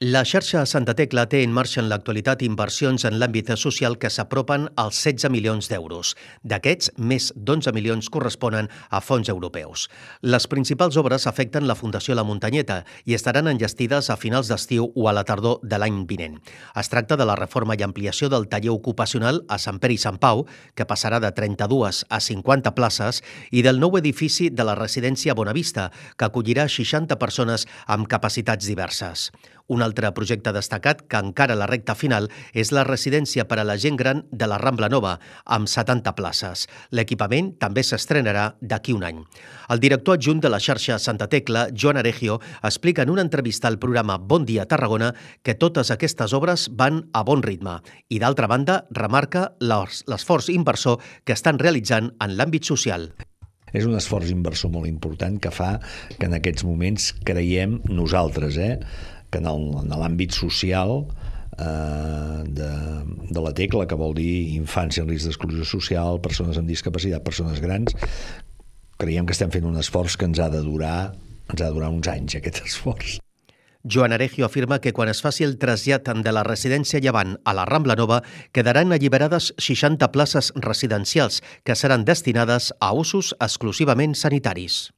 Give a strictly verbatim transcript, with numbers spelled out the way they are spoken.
La xarxa Santa Tecla té en marxa en l'actualitat inversions en l'àmbit social que s'apropen als setze milions d'euros. D'aquests, més d'onze milions corresponen a fons europeus. Les principals obres afecten la Fundació La Muntanyeta i estaran enllestides a finals d'estiu o a la tardor de l'any vinent. Es tracta de la reforma i ampliació del taller ocupacional a Sant Pere i Sant Pau, que passarà de trenta-dues a cinquanta places, i del nou edifici de la residència Bonavista, que acollirà seixanta persones amb capacitats diverses. Un altre projecte destacat, que encara a la recta final, és la residència per a la gent gran de la Rambla Nova, amb setanta places. L'equipament també s'estrenarà d'aquí un any. El director adjunt de la xarxa Santa Tecla, Joan Aregio, explica en una entrevista al programa Bon Dia Tarragona que totes aquestes obres van a bon ritme i, d'altra banda, remarca l'esforç inversor que estan realitzant en l'àmbit social. És un esforç inversor molt important que fa que en aquests moments creiem nosaltres, eh, que en l'àmbit social eh, de, de la Tecla, que vol dir infància en risc d'exclusió social, persones amb discapacitat, persones grans, creiem que estem fent un esforç que ens ha de durar, ens ha de durar uns anys, aquest esforç. Joan Aregio afirma que quan es faci el trasllat de la residència Llevant a la Rambla Nova quedaran alliberades seixanta places residencials que seran destinades a usos exclusivament sanitaris.